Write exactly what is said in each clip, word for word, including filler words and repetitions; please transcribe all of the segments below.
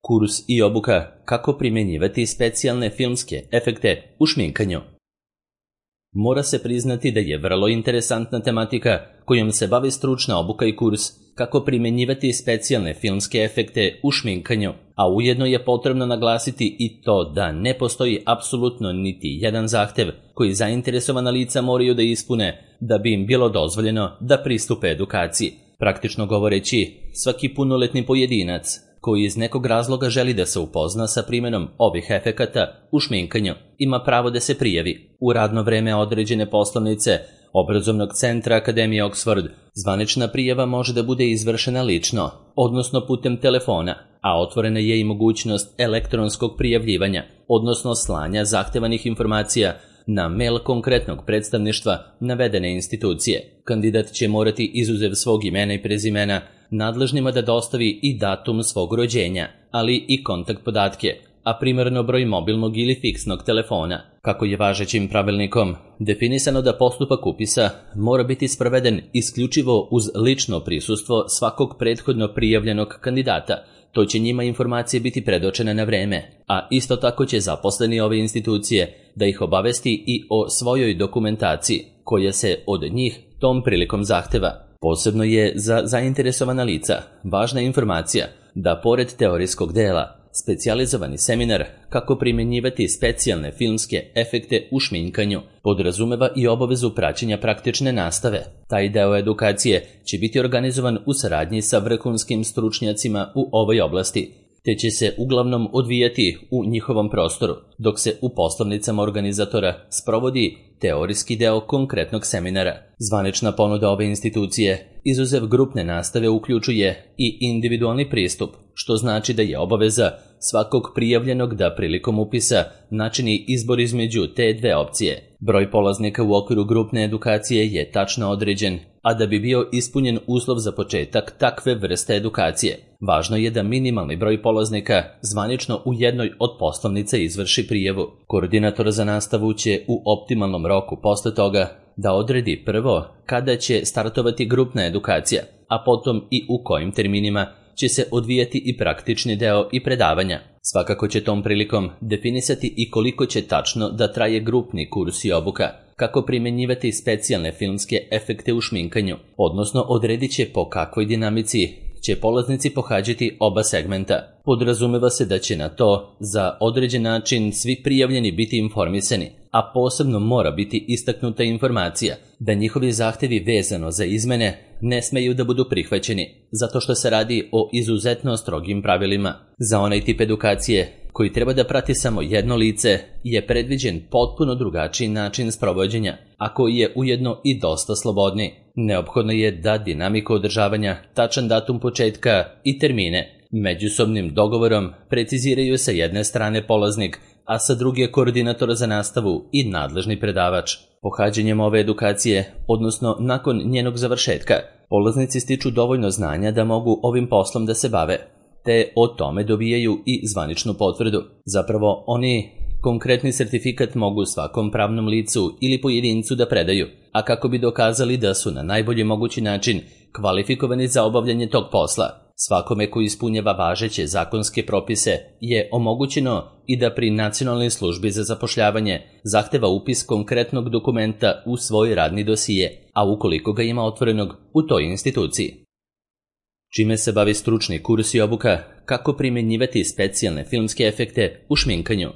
Kurs i obuka kako primjenjivati specijalne filmske efekte u šminkanju. Mora se priznati da je vrlo interesantna tematika kojom se bavi stručna obuka i kurs kako primjenjivati specijalne filmske efekte u šminkanju, a ujedno je potrebno naglasiti i to da ne postoji apsolutno niti jedan zahtev koji zainteresovana lica moraju da ispune da bi im bilo dozvoljeno da pristupe edukaciji. Praktično govoreći, svaki punoletni pojedinac koji iz nekog razloga želi da se upozna sa primjenom ovih efekata u šminkanju ima pravo da se prijavi u radno vreme određene poslovnice obrazovnog centra Akademije Oxford. Zvanična prijava može da bude izvršena lično, odnosno putem telefona, a otvorena je i mogućnost elektronskog prijavljivanja, odnosno slanja zahtevanih informacija na mail konkretnog predstavništva navedene institucije. Kandidat će morati izuzev svog imena i prezimena nadležnima da dostavi i datum svog rođenja, ali i kontakt podatke, a primarno broj mobilnog ili fiksnog telefona. Kako je važećim pravilnikom definisano da postupak upisa mora biti sproveden isključivo uz lično prisustvo svakog prethodno prijavljenog kandidata, to će njima informacije biti predočene na vreme, a isto tako će zaposleni ove institucije da ih obavesti i o svojoj dokumentaciji koja se od njih tom prilikom zahteva. Posebno je za zainteresovana lica važna informacija da pored teorijskog dela, specijalizovani seminar kako primjenjivati specijalne filmske efekte u šminkanju podrazumeva i obavezu praćenja praktične nastave. Taj deo edukacije će biti organizovan u saradnji sa vrhunskim stručnjacima u ovoj oblasti, te će se uglavnom odvijati u njihovom prostoru, dok se u poslovnicama organizatora sprovodi teorijski deo konkretnog seminara. Zvanična ponuda ove institucije, izuzev grupne nastave, uključuje i individualni pristup, što znači da je obaveza svakog prijavljenog da prilikom upisa načini izbor između te dve opcije. Broj polaznika u okviru grupne edukacije je tačno određen, a da bi bio ispunjen uslov za početak takve vrste edukacije, važno je da minimalni broj polaznika zvanično u jednoj od poslovnica izvrši prijavu. Koordinator za nastavu će u optimalnom roku posle toga da odredi prvo kada će startovati grupna edukacija, a potom i u kojim terminima će se odvijati i praktični deo i predavanja. Svakako će tom prilikom definisati i koliko će tačno da traje grupni kurs i obuka kako primjenjivati specijalne filmske efekte u šminkanju, odnosno odredit će po kakvoj dinamici će polaznici pohađati oba segmenta. Podrazumeva se da će na to za određen način svi prijavljeni biti informisani, a posebno mora biti istaknuta informacija da njihovi zahtevi vezano za izmene ne smeju da budu prihvaćeni, zato što se radi o izuzetno strogim pravilima. Za onaj tip edukacije koji treba da prati samo jedno lice je predviđen potpuno drugačiji način sprovođenja, a koji je ujedno i dosta slobodniji. Neophodno je da dinamiku održavanja, tačan datum početka i termine međusobnim dogovorom preciziraju sa jedne strane polaznik, a sa druge koordinator za nastavu i nadležni predavač. Pohađanjem ove edukacije, odnosno nakon njenog završetka, polaznici stiču dovoljno znanja da mogu ovim poslom da se bave, te o tome dobijaju i zvaničnu potvrdu. Zapravo, oni konkretni sertifikat mogu svakom pravnom licu ili pojedincu da predaju, a kako bi dokazali da su na najbolji mogući način kvalifikovani za obavljanje tog posla. Svakome koji ispunjava važeće zakonske propise je omogućeno i da pri Nacionalnoj službi za zapošljavanje zahteva upis konkretnog dokumenta u svoj radni dosije, a ukoliko ga ima otvorenog u toj instituciji. Čime se bavi stručni kurs i obuka kako primjenjivati specijalne filmske efekte u šminkanju?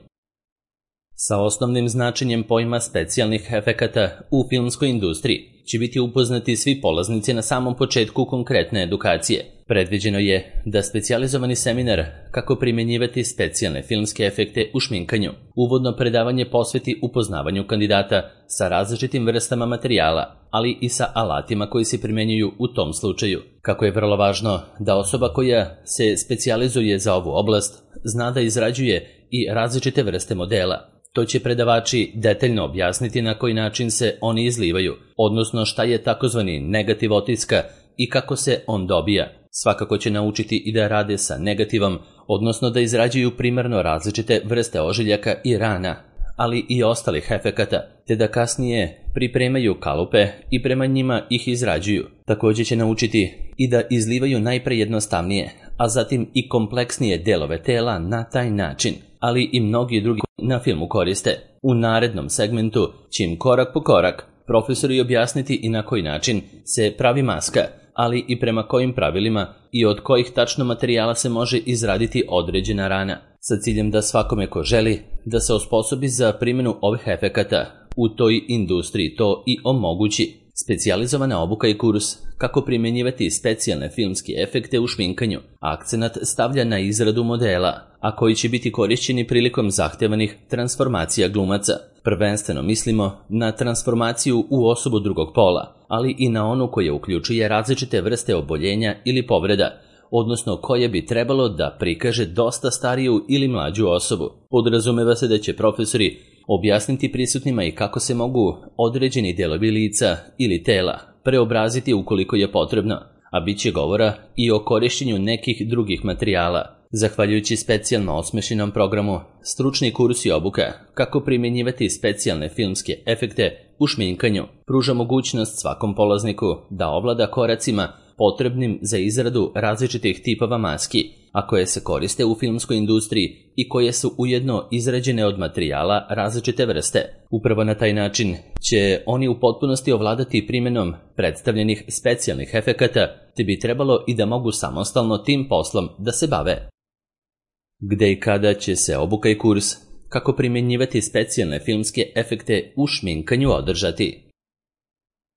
Sa osnovnim značenjem pojma specijalnih efekata u filmskoj industriji će biti upoznati svi polaznici na samom početku konkretne edukacije. Predviđeno je da specijalizovani seminar kako primjenjivati specijalne filmske efekte u šminkanju uvodno predavanje posveti upoznavanju kandidata sa različitim vrstama materijala, ali i sa alatima koji se primjenjuju u tom slučaju. Kako je vrlo važno da osoba koja se specijalizuje za ovu oblast zna da izrađuje i različite vrste modela. To će predavači detaljno objasniti na koji način se oni izlivaju, odnosno šta je takozvani negativ otiska i kako se on dobija. Svakako će naučiti i da rade sa negativom, odnosno da izrađuju primarno različite vrste ožiljaka i rana, ali i ostalih efekata, te da kasnije pripremaju kalupe i prema njima ih izrađuju. Također će naučiti i da izlivaju najpre jednostavnije, a zatim i kompleksnije delove tela na taj način, ali i mnogi drugi na filmu koriste. U narednom segmentu će im korak po korak profesori objasniti i na koji način se pravi maska, ali i prema kojim pravilima i od kojih tačno materijala se može izraditi određena rana, sa ciljem da svakome ko želi da se osposobi za primjenu ovih efekata u toj industriji to i omogući. Specijalizovana obuka i kurs kako primjenjivati specijalne filmske efekte u šminkanju. Akcenat stavlja na izradu modela, a koji će biti korišćeni prilikom zahtevanih transformacija glumaca. Prvenstveno mislimo na transformaciju u osobu drugog pola, ali i na onu koja uključuje različite vrste oboljenja ili povreda, odnosno koje bi trebalo da prikaže dosta stariju ili mlađu osobu. Podrazumeva se da će profesori objasniti prisutnima i kako se mogu određeni delovi lica ili tela preobraziti ukoliko je potrebno, a bit će govora i o korišćenju nekih drugih materijala. Zahvaljujući specijalno osmišljenom programu, stručni kurs i obuka kako primjenjivati specijalne filmske efekte u šminkanju pruža mogućnost svakom polazniku da ovlada koracima potrebnim za izradu različitih tipova maski, a koje se koriste u filmskoj industriji i koje su ujedno izrađene od materijala različite vrste. Upravo na taj način će oni u potpunosti ovladati primjenom predstavljenih specijalnih efekata, te bi trebalo i da mogu samostalno tim poslom da se bave. Gde i kada će se obuka i kurs kako primjenjivati specijalne filmske efekte u šminkanju održati?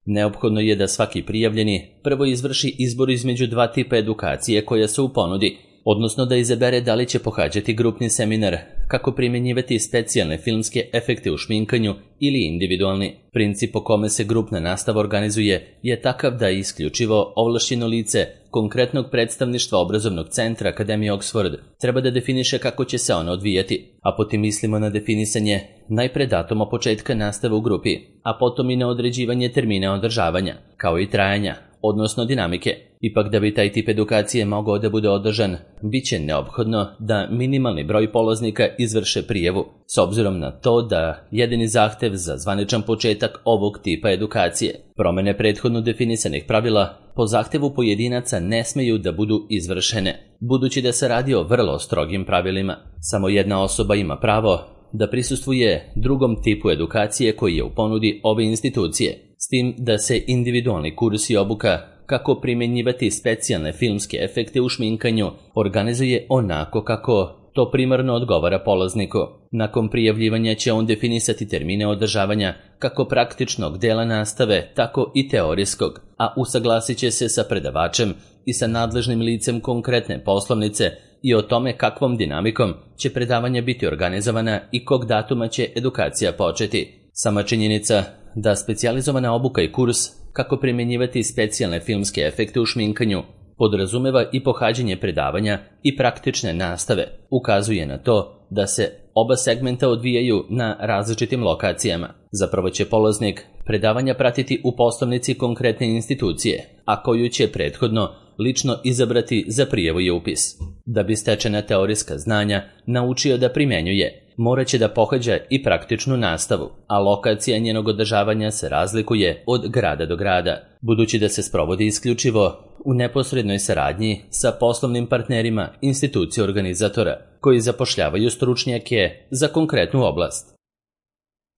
Neophodno je da svaki prijavljeni prvo izvrši izbor između dva tipa edukacije koja su u ponudi, odnosno da izabere da li će pohađati grupni seminar kako primjenjivati specijalne filmske efekte u šminkanju ili individualni. Princip po kome se grupna nastava organizuje je takav da isključivo ovlašćeno lice konkretnog predstavništva obrazovnog centra Akademije Oxford treba da definiše kako će se ona odvijati, a potom mislimo na definisanje najpre datuma početka nastave u grupi, a potom i na određivanje termina održavanja, kao i trajanja, odnosno dinamike. Ipak da bi taj tip edukacije mogao da bude održan, bit će neophodno da minimalni broj polaznika izvrše prijavu, s obzirom na to da jedini zahtev za zvaničan početak ovog tipa edukacije. Promene prethodno definisanih pravila po zahtevu pojedinaca ne smeju da budu izvršene, budući da se radi o vrlo strogim pravilima. Samo jedna osoba ima pravo da prisustvuje drugom tipu edukacije koji je u ponudi ove institucije, s tim da se individualni kurs i obuka kako primjenjivati specijalne filmske efekte u šminkanju organizuje onako kako to primarno odgovara polazniku. Nakon prijavljivanja će on definisati termine održavanja kako praktičnog dela nastave, tako i teorijskog, a usaglasit će se sa predavačem i sa nadležnim licem konkretne poslovnice i o tome kakvom dinamikom će predavanja biti organizovana i kog datuma će edukacija početi. Sama činjenica da specijalizovana obuka i kurs kako primjenjivati specijalne filmske efekte u šminkanju podrazumeva i pohađanje predavanja i praktične nastave, ukazuje na to da se oba segmenta odvijaju na različitim lokacijama. Zapravo će polaznik predavanja pratiti u poslovnici konkretne institucije, a koju će prethodno lično izabrati za prijavu i upis. Da bi stečena teorijska znanja naučio da primjenjuje, morat će da pohađa i praktičnu nastavu, a lokacija njenog održavanja se razlikuje od grada do grada, budući da se sprovodi isključivo u neposrednoj saradnji sa poslovnim partnerima institucije organizatora, koji zapošljavaju stručnjake za konkretnu oblast.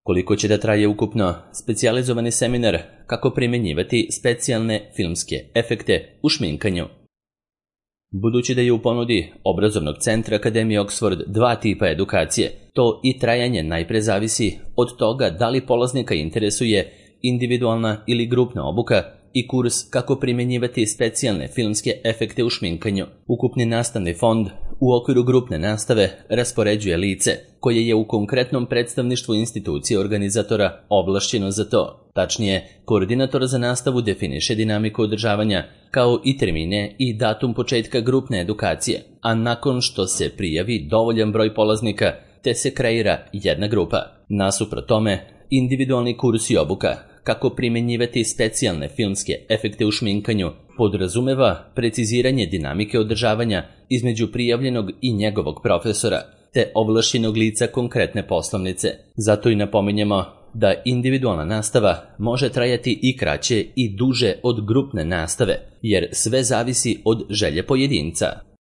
Koliko će da traje ukupno specijalizovani seminar kako primjenjivati specijalne filmske efekte u šminkanju? Budući da je u ponudi obrazovnog centra Akademije Oxford dva tipa edukacije, to i trajanje najpre zavisi od toga da li polaznika interesuje individualna ili grupna obuka i kurs kako primjenjivati specijalne filmske efekte u šminkanju. Ukupni nastavni fond u okviru grupne nastave raspoređuje lice koje je u konkretnom predstavništvu institucije organizatora ovlašćeno za to. Tačnije, koordinator za nastavu definiše dinamiku održavanja kao i termine i datum početka grupne edukacije, a nakon što se prijavi dovoljan broj polaznika te se kreira jedna grupa. Nasuprot tome, individualni kurs i obuka kako primjenjivati specijalne filmske efekte u šminkanju podrazumeva preciziranje dinamike održavanja između prijavljenog i njegovog profesora, te ovlašćenog lica konkretne poslovnice. Zato i napominjemo da individualna nastava može trajati i kraće i duže od grupne nastave, jer sve zavisi od želje pojedinca.